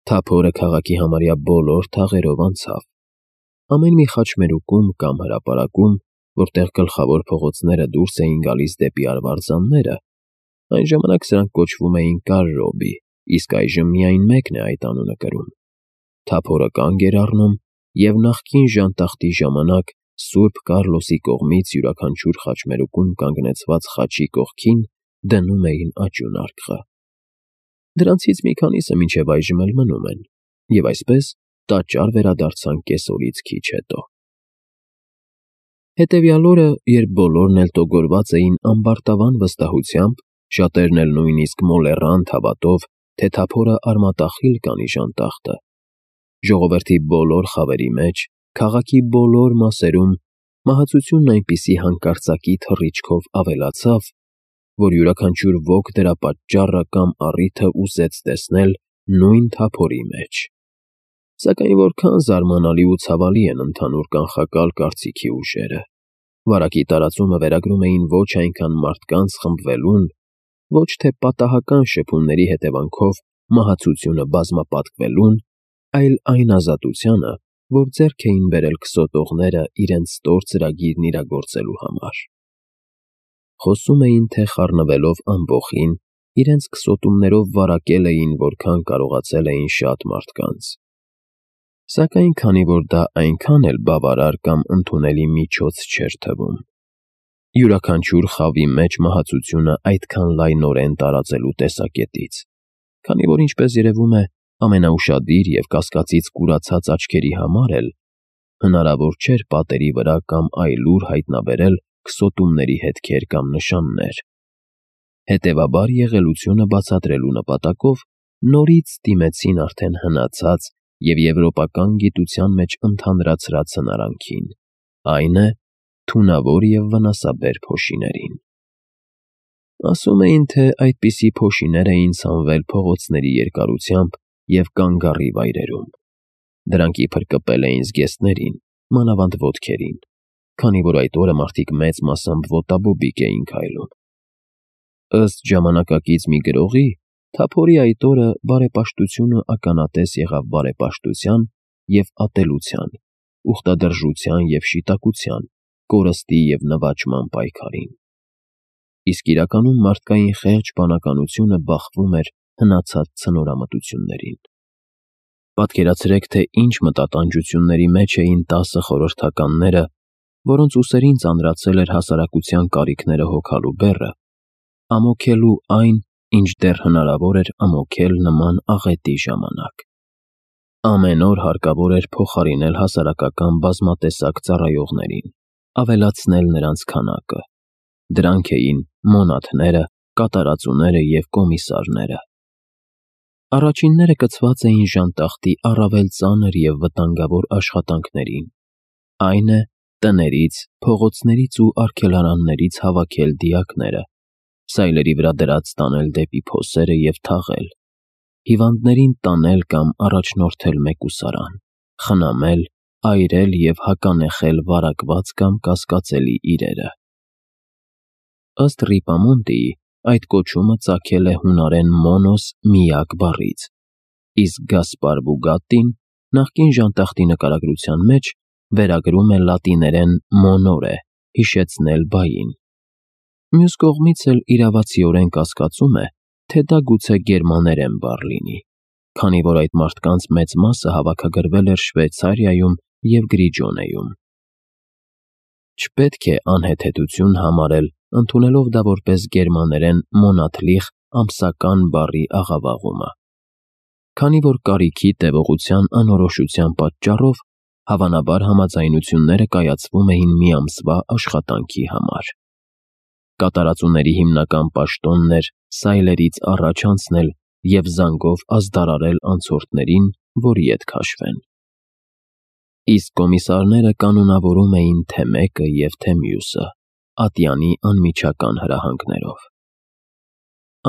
Թափորը քաղաքի համարյա բոլոր թաղերով անցավ։ Ամեն մի խաչմերուկում կամ հրապարակում, որտեղ գլխավոր փողոցները դուրս էին գալիս դեպի արվարձանները, այն ժամանակ սրանք կոչվում էին Կարրոբի, իսկ այժմ միայն մեկն է այդ անունը կրում։ Թափորը կանգ էր առնում, և նախկին ժանտախտի ժամանակ Սուրբ Կառլոսի կողմից յուրաքանչյուր խաչմերուկում կանգնեցված խաչի կողքին դնում էին աճյուն արկղը։ Դրանցից մի քանիսը մինչև այժմ էլ մնում են, և այսպես տաճար վերադարձան կեսօրից քիչ հետո։ Հետևյալ օրը, երբ բոլորն էլ տոգորված էին ամբարտավան վստահությամբ, շատերն էլ նույնիսկ մոլեռանդ հավատով, թե Թափորը արմատախիլ կանի ժանտախտը, ժողովրդի բոլոր խավերի մեջ, քաղաքի բոլոր մասերում մահացությունն այնպիսի հանկարծակի թռիչքով ավելացավ, որ յուրաքանչյուր ոք դրա պատճառը կամ առիթը ուզեց տեսնել նույն Թափորի մեջ։ Սակայն որքան զարմանալի ու ցավալի են ընդհանուր կանխակալ կարծիքի ուժերը։ Վարակի տարածումը վերագրում էին ոչ այնքան մարդկանց խմբվելուն, ոչ թե պատահական շփումների հետևանքով մահացությունը բազմապատկվելուն, այլ այն ազատությանը, որ ձեռք էին բերել քսոտողները իրենց ստոր ծրագիրն իրագործելու համար։ Խոսում էին, թե խառնվելով ամբոխին, իրենց քսոտումներով վարակել էին, որքան կարողացել էին շատ մարդկանց։ Սակայն քանի որ դա այնքան էլ բավարար կամ ընդունելի միջոց չէր թվում, յուրաքանչյուր խավի մեջ մահացությունը այդքան լայնորեն տարածելու տեսակետից, քանի որ, ինչպես երևում է, ամենաուշադիր և կասկածից կուրացած աչքերի համար էլ հնարավոր չէր պատերի վրա կամ այլուր հայտնաբերել քսոտումների հետքեր կամ նշաններ։ Հետևաբար եղելությունը բացատրելու նպատակով նորից դիմեցին արդեն հնացած և եվրոպական գիտության մեջ ընդհանրացրած հնարանքին, այն է, թունավոր և վնասաբեր փոշիներին։ Ասում էին, թե այդպիսի փոշիներ էին ցանվել փողոցների երկարությամբ և կանգառի վայրերում։ Դրանք իբր կպել էին զգեստներին, մանավանդ ոտքերին, քանի որ այդ օրը մարդիկ մեծ մասամբ ոտաբոբիկ էին քայլում։ Ըստ ժամանակակից մի գրողի, Թափորի այդ օրը բարեպաշտությունը ականատես եղավ բարեպաշտության և ատելության, ուխտադրժության և շիտակության, կորստի և նվաճման պայքարին։ Իսկ իրականում մարդկային խեղճ բանականությունը բախվում էր հնացած ցնորամտություններին։ Պատկերացրեք, թե ինչ մտատանջությունների մեջ էին 10 խորհրդականները, որոնց ուսերին ծանրացել էր հասարակության կարիքները հոգալու բեռը, ամոքելու այն, ինչ դեռ հնարավոր էր ամոքել նման աղետի ժամանակ։ Ամեն օր հարկավոր էր փոխարինել հասարակական բազմատեսակ ծառայողներին, ավելացնել նրանց քանակը։ Դրանք էին մոնաթները, կատարածուները և կոմիսարները։ Առաջինները կցված էին ժանտախտի առավել ծանր և վտանգավոր աշխատանքներին, այն է, տներից, փողոցներից ու արգելարաններից հավաքել դիակները, սայլերի վրա դրած տանել դեպի փոսերը և թաղել, հիվանդներին տանել կամ առաջնորդել մեկուսարան, խնամել, այրել և հականեխել վարակված կամ կասկածելի իրերը։ Ըստ Ռիպամոնտիի, այդ կոչումը ծագել է հունարեն «մոնոս» միակ բառից, իսկ Գասպար Բուգատտին նախկին ժանտախտի նկարագրության մեջ վերագրում է լատիներեն monore հիշեցնել բային։ Մյուս կողմից էլ իրավացիորեն կասկածում է, թե դա գուցե գերմաներեն բառ լինի, քանի որ այդ մարդկանց մեծ մասը հավաքագրվել էր Շվեյցարիայում և Գրիջոնեում։ Չպետք է անհեթեթություն համարել, ընդունելով դա որպես գերմաներեն «մոնաթլիխ» ամսական բառի աղավաղումը, քանի որ կարիքի տևողության անորոշության պատճառով հավանաբար համաձայնությունները կայացվում էին մի ամսվա աշխատանքի համար։ Կատարածուների հիմնական պաշտոնն էր սայլերից առաջ անցնել և զանգով ազդարարել անցորդներին, որ ետ քաշվեն։ Իսկ կոմիսարները կանոնավորում էին թե մեկը և թե մյուսը, ատյանի անմիջական հրահանգներով։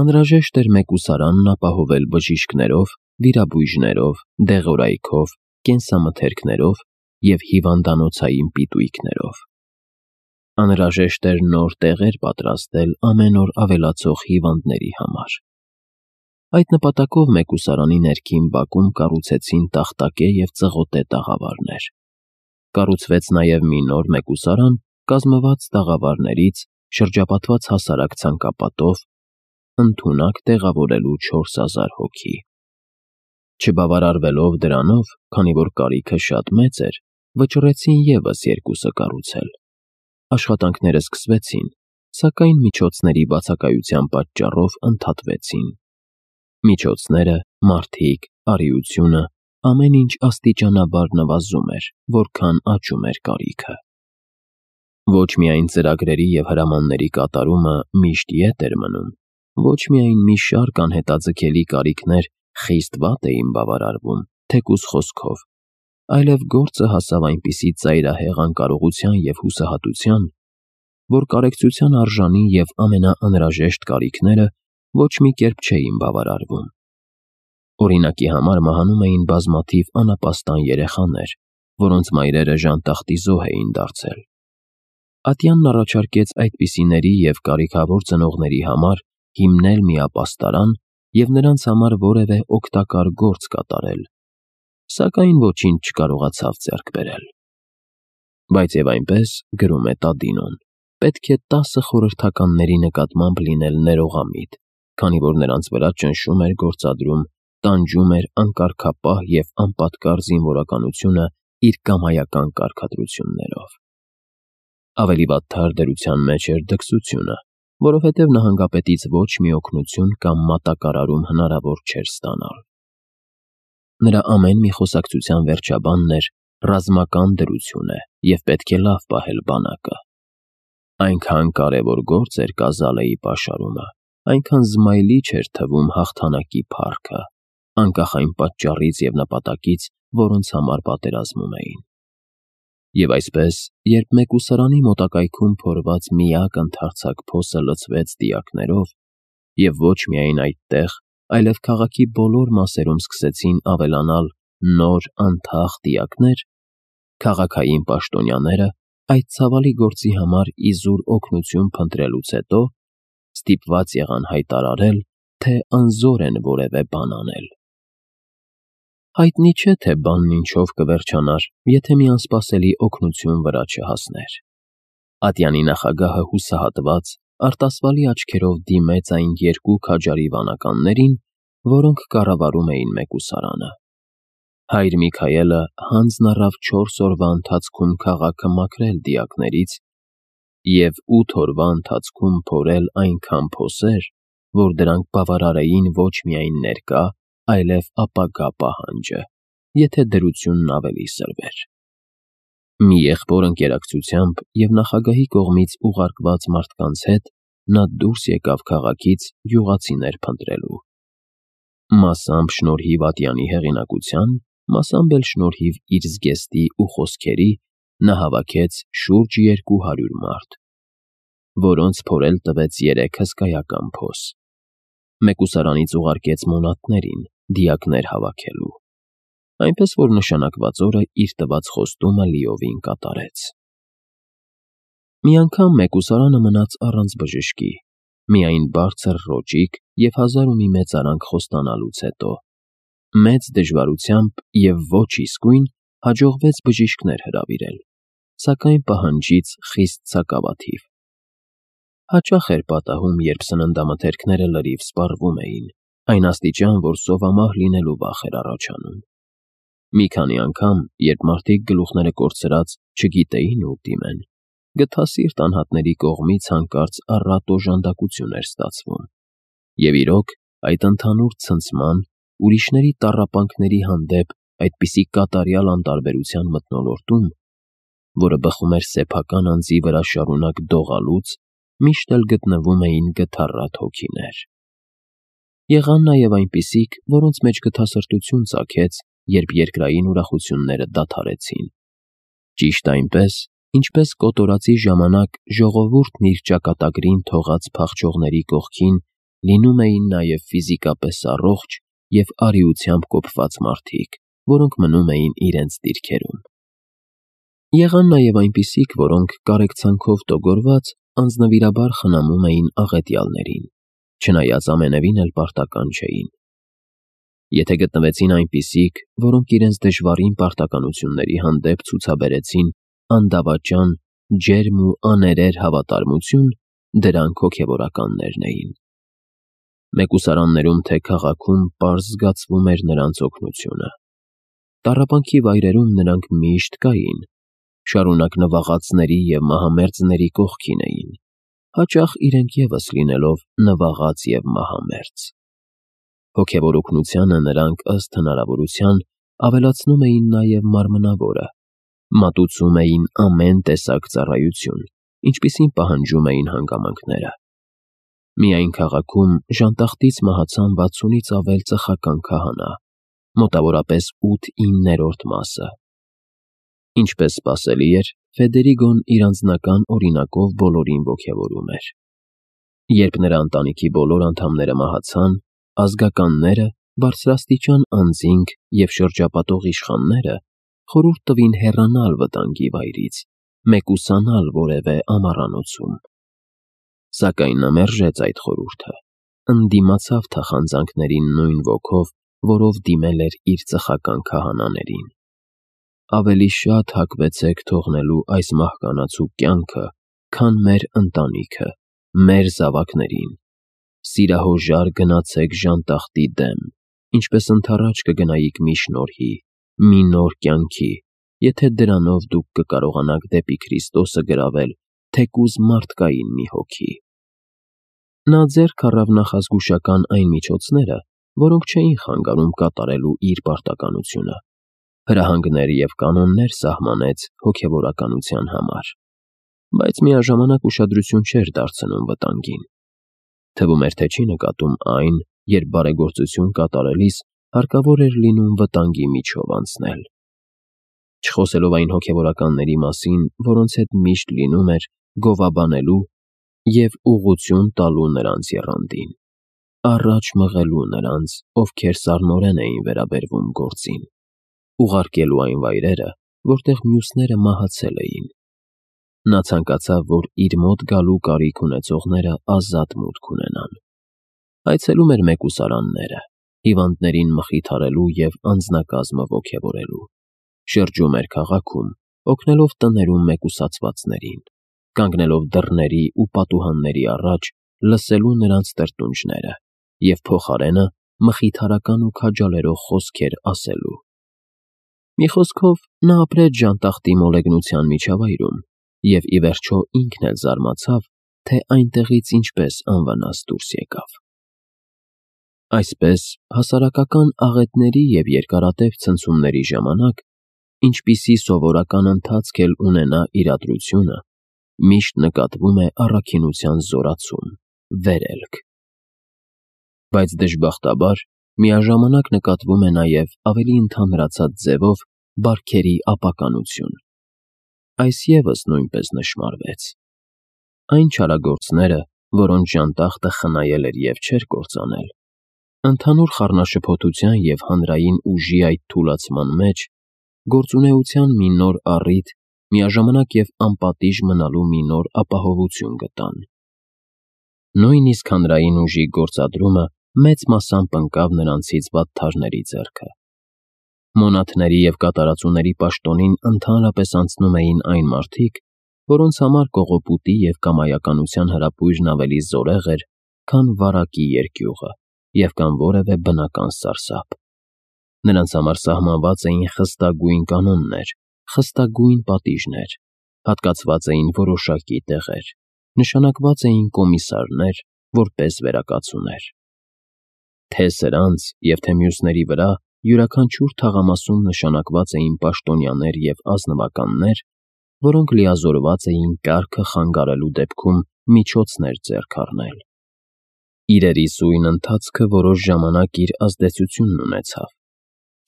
Անհրաժեշտ էր մեկուսարանն ապահովել բժիշկներով, վիրաբույժներով, դեղորայքով, կենսամթերքներով և հիվանդանոցային պիտույքներով։ Անհրաժեշտ էր նոր տեղեր պատրաստել ամեն օր ավելացող հիվանդների համար։ Այդ նպատակով մեկուսարանի ներքին բակում կառուցեցին տախտակե և ծղոտե տաղավարներ։ Կառուցվեց նաև մի նոր մեկուսարան, կազմված տաղավարներից, շրջապատված հասարակ ցանկապատով, ընդունակ տեղավորելու 4000 հոգի։ Չբավարարվելով դրանով, քանի որ կարիքը շատ մեծ էր, վճռեցին ևս երկուսը կառուցել։ Աշխատանքները սկսվեցին, սակայն միջոցների բացակայության պատճառով ընդհատվեցին։ Միջոցները, մարդիկ, արիությունը, ամեն ինչ աստիճանաբար նվազում էր, որքան աճում էր կարիքը։ Ոչ միայն ծրագրերի և հրամանների կատարումը միշտ ետ էր մնում, ոչ միայն մի շարք անհետաձգելի կարիքներ խիստ վատ էին բավարարվում, թեկուզ խոսքով, այլև գործը հասավ այնպիսի ծայրահեղ անկարողության և հուսահատության, որ կարեկցության արժանի և ամենաանհրաժեշտ կարիքները ոչ մի կերպ չէին բավարարվում։ Օրինակի համար մահանում էին բազմաթիվ անապաստան երեխաներ, որոնց մայրերը ժանտախտի զոհ էին դարձել։ Ատյանն առաջարկեց այդպիսիների և կարիքավոր ծնողների համար հիմնել մի ապաստարան և նրանց համար որևէ օգտակար գործ կատարել, սակայն ոչինչ չկարողացավ ձեռք բերել։ Բայց և այնպես, գրում է Տադինոն, պետք է 10 խորհրդականների նկատմամբ լինել ներողամիտ, քանի որ նրանց վրա ճնշում էր գործադրում, տանջում էր անկարգապահ և անպատկար զինվորականությունը իր կամայական կարգադրություններով։ Ավելի վատթար դրության մեջ էր դքսությունը, որովհետև նահանգապետից ոչ մի օգնություն կամ մատակարարում հնարավոր չէր ստանալ։ Նրա ամեն մի խոսակցության վերջաբանն էր «ռազմական դրություն է և պետք է լավ պահել բանակը»։ Այնքան կարևոր գործ էր Կազալեի պաշարումը, այնքան զմայլի չէր թվում հաղթանակի փառքը, անկախ այն պատճառից և նպատակից, որոնց համար պատերազմում էին։ Եվ այսպես, երբ մեկուսարանի մոտակայքում փորված միակ ընդարձակ փոսը լցվեց դիակներով, և ոչ միայն այդտեղ, այլև քաղաքի բոլոր մասերում սկսեցին ավելանալ նոր անթաղ դիակներ, քաղաքային պաշտոնյաները, այդ ցավալի գործի համար իզուր օգնություն փնտրելուց հետո, ստիպված եղան հայտարարել, թե անզոր են որևէ բան անել։ Հայտնի չէ, թե բանն ինչով կվերջանար, եթե մի անսպասելի օգնություն վրա չհասներ։ Ատյանի նախագահը հուսահատված, արտասվալի աչքերով դիմեց այն երկու քաջարի վանականներին, որոնք կառավարում էին մեկուսարանը։ Հայր Միքայելը հանձն առավ 4 օրվա ընթացքում քաղաքը մաքրել դիակներից և 8 օրվա ընթացքում փորել այնքան փոսեր, որ դրանք բավարարեին ոչ միայն ներկա, այլև ապագա պահանջը, եթե դրությունն ավելի սրվեր։ Մի եղբոր ընկերակցությամբ և նախագահի կողմից ուղարկված մարդկանց հետ նա դուրս եկավ քաղաքից գյուղացիներ փնտրելու։ Մասամբ շնորհիվ Ատյանի հեղինակության, մասամբ էլ շնորհիվ իր զգեստի ու խոսքերի նա հավաքեց շուրջ 200 մարդ, որոնց փորել տվեց 3 հսկայական փոս։ Մեկուսարանից ուղարկեց մոնատներին դիակներ հավաքելու, այնպես որ նշանակված օրը իր տված խոստումը լիովին կատարեց։ Մի անգամ մեկուսարանը մնաց առանց բժշկի, միայն բարձր ռոճիկ և 1000 ու մի մեծարանք խոստանալուց հետո, մեծ դժվարությամբ և ոչ իսկույն հաջողվեց բժիշկներ հրավիրել, սակայն պահանջից խիստ սակավաթիվ։ Հաճախ էր պատահում, երբ սննդամթերքները լրիվ սպառվում էին, այն աստիճան, որ սովամահ լինելու վախ էր առաջանում։ Մի քանի անգամ, երբ մարդիկ գլուխները կորցրած չգիտեին ուր դիմեն, գթասիրտ անհատների կողմից հանկարծ առատ օժանդակություն էր ստացվում։ Եվ իրոք, այդ ընդհանուր ցնցման, ուրիշների տառապանքների հանդեպ այդպիսի կատարյալ անտարբերության մթնոլորտում, որը բխում էր սեփական անձի վրա շարունակ դողալուց, միշտ էլ գտնվում էին գթառատ հոգիներ։ Եղան նաև այնպիսիք, որոնց մեջ գթասրտություն ծագեց, երբ երկրային ուրախությունները դադարեցին։ Ճիշտ այնպես, ինչպես կոտորածի ժամանակ ժողովուրդն իր ճակատագրին թողած փախչողների կողքին լինում էին նաև ֆիզիկապես առողջ և արիությամբ կոփված մարդիկ, որոնք մնում էին իրենց դիրքերում։ Եղան նաև այնպիսիք, որոնք կարեկցանքով տոգորված անձնվիրաբար խնամում էին աղետյալներին, չնայած ամենևին էլ պարտական չէին։ Եթե գտնվեցին այնպիսիք, որոնք իրենց դժվարին պարտականությունների հանդեպ ցուցաբերեցին անդավաճան, ջերմ ու աներեր հավատարմություն, դրանք հոգևորականներն էին։ Մեկուսարաններում թե քաղաքում պարզ զգացվում էր նրանց օգնությունը։ Տառապանքի վայրերում նրանք միշտ կային, շարունակ նվաղածների և մահամերձների կողքին էին, հաճախ իրենք ևս լինելով նվաղած և մահամերձ։ Հոգևոր օգնությանը նրանք ըստ հնարավորության ավելացնում էին նաև մարմնավորը, մատուցում էին ամեն տեսակ ծառայություն, ինչպիսին պահանջում էին հանգամանքները։ Միայն քաղաքում ժանտախտից մահացան 60-ից ավել ծխական քահանա, մոտավորապես 8/9 մասը։ Ինչպես սպասելի էր, Ֆեդերիգոն իր անձնական օրինակով բոլորին ոգևորում էր։ Երբ նրա ընտանիքի բոլոր անդամները մահացան, ազգականները, բարձրաստիճան անձինք և շրջապատող իշխանները խորհուրդ տվին հեռանալ վտանգի վայրից, մեկուսանալ որևէ ամառանոցում։ Սակայն նա մերժեց այդ խորհուրդը, ընդդիմացավ թախանձանքներին նույն ոգով, որով դիմել էր իր ծխական քահանաներին։ Ավելի շատ հակվեցեք թողնելու այս մահկանացու կյանքը, քան մեր ընտանիքը, մեր զավակներին։ Սիրահոժար գնացեք ժանտախտի դեմ, ինչպես ընդառաջ կգնայիք մի շնորհի, մի նոր կյանքի, եթե դրանով դուք կկարողանաք դեպի Քրիստոսը գրավել թեկուզ մարդկային մի հոգի։ Նա ձեռք առավ նախազգուշական այն միջոցները, որոնք չէին խանգարում կատարելու իր պարտականությունը, հրահանգներ և կանոններ սահմանեց հոգևորականության համար, բայց միաժամանակ ուշադրություն չէր դարձնում վտանգին։ Թվում էր, թե չի նկատում այն, երբ բարեգործություն կատարելիս հարկավոր էր լինում վտանգի միջով անցնել։ Չխոսելով այն հոգևորականների մասին, որոնց հետ միշտ լինում էր գովաբանելու և ուղղություն տալու նրանց եռանդին, առաջ մղելու նրանց, ովքեր սառնորեն էին վերաբերվում գործին, ուղարկելու այն վայրերը, որտեղ մյուսները մահացել էին։ Նա ցանկացավ, որ իր մոտ գալու կարիք ունեցողները ազատ մուտք ունենան։ Այցելում էր մեկուսարանները, հիվանդներին մխիթարելու և անձնակազմը ոգևորելու։ Շրջում էր քաղաքում, օգնելով տներում մեկուսացվածներին, կանգնելով դռների ու պատուհանների առաջ, լսելու նրանց տրտունջները և փոխարենը մխիթարական ու քաջալերող խոսքեր ասելու։ Մի խոսքով, նա ապրեց ժանտախտի մոլեգնության միջավայրում և ի վերջո ինքն էլ զարմացավ, թե այնտեղից ինչպես անվնաս դուրս եկավ։ Այսպես, հասարակական աղետների և երկարատև ցնցումների ժամանակ, ինչպիսի սովորական ընթացք էլ ունենա իրադրությունը, միշտ նկատվում է առաքինության զորացում, վերելք։ Բայց դժբախտաբար, միաժամանակ նկատվում է նաև ավելի ընդհանրացած ձևով բարքերի ապականություն։ Այս ևս նույնպես նշմարվեց։ Այն չարագործները, որոնց ժանտախտը խնայել էր և չէր կործանել, ընդհանուր խառնաշփոթության և հանրային ուժի այդ թուլացման մեջ, գործունեության մի նոր առիթ, միաժամանակ և անպատիժ մնալու մի նոր ապահովություն գտան։ Նույնիսկ հանրային ուժի գործադրումը մեծ մասամբ ընկավ նրանցից վատթարների ձեռքը։ Մոնաթների և կատարածուների պաշտոնին ընդհանրապես անցնում էին այն մարդիկ, որոնց համար կողոպուտի և կամայականության հրապույրն ավելի զորեղ էր, քան վարակի երկյուղը և կամ որևէ բնական սարսափ։ Նրանց համար սահմանված էին խստագույն կանոններ, խստագույն պատիժներ, հատկացված էին որոշակի տեղեր, նշանակված էին կոմիսարներ, որպես վերակացուներ։ Թե սրանց և թե մյուսների վրա յուրաքանչյուր թաղամասում նշանակված էին պաշտոնյաներ և ազնվականներ, որոնք լիազորված էին կարգը խանգարելու դեպքում միջոցներ ձեռք առնել։ Իրերի սույն ընթացքը որոշ ժամանակ իր ազդեցությունն ունեցավ,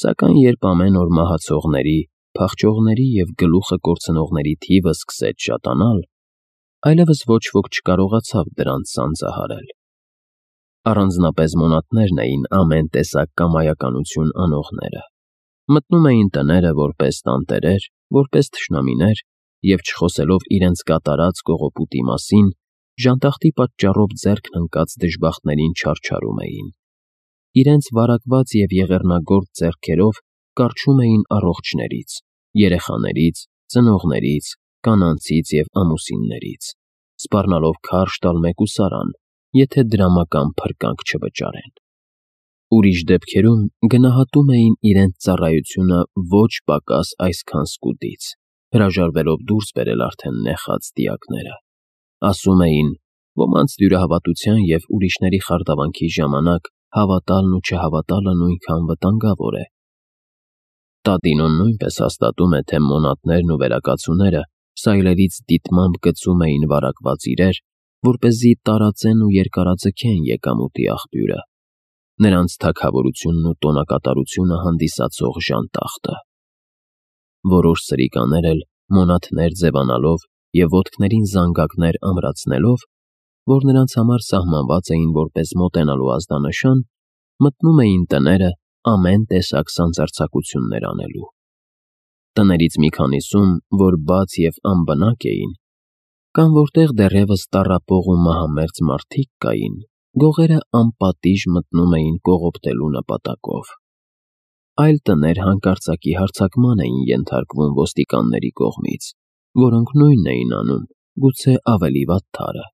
սակայն երբ ամեն օր մահացողների, փախչողների և գլուխը կորցնողների թիվը սկսեց շատանալ, այլևս ոչ ոք չկարողացավ դրանց սանձահարել։ Առանձնապես մոնատներն էին ամեն տեսակ կամայականություն անողները։ Մտնում էին տները որպես տանտերեր, որպես թշնամիներ և, չխոսելով իրենց կատարած կողոպուտի մասին, ժանտախտի պատճառով ձեռքն ընկած դժբախտներին չարչարում էին։ իրենց վարակված և եղեռնագործ ձեռքերով կառչում էին առողջներից, երեխաներից, ծնողներից, կանանցից և ամուսիններից, սպառնալով քարշ տալ մեկուսարան, եթե դրամական փրկանք չվճարեն։ Ուրիշ դեպքերում գնահատում էին իրենց ծառայությունը ոչ պակաս այսքան սկուտից, հրաժարվելով դուրս բերել արդեն նեխած դիակները։ Ասում էին, ոմանց դյուրահավատության և ուրիշների խարդավանքի ժամանակ հավատալն ու չհավատալը նույնքան վտանգավոր է։ Տատինոն նույնպես հաստատում է, թե մոնատներն ու վերակացուները սայլերից դիտմամբ գցում էին վարակված իրեր, որպեսզի տարածեն ու երկարաձգեն եկամուտի աղբյուրը, նրանց թագավորությունն ու տոնակատարությունը հանդիսացող ժանտախտը։ Որոշ սրիկաներ էլ մոնաթներ ձևանալով և ոտքներին զանգակներ ամրացնելով, որ նրանց համար սահմանված էին որպես մոտենալու ազդանշան, մտնում էին տները ամեն տեսակ սանձարձակություններ անելու։ Տներից մի քանիսում, որ բաց և անբնակ էին, կամ որտեղ դեռևս տառապող ու մահամերձ մարդիկ կային, գողերը անպատիժ մտնում էին կողոպտելու նպատակով։ Այլ տներ հանկարծակի հարձակման էին ենթարկվում ոստիկանների կողմից, որոնք նույնն էին անում, գուցե ավելի վատթարը։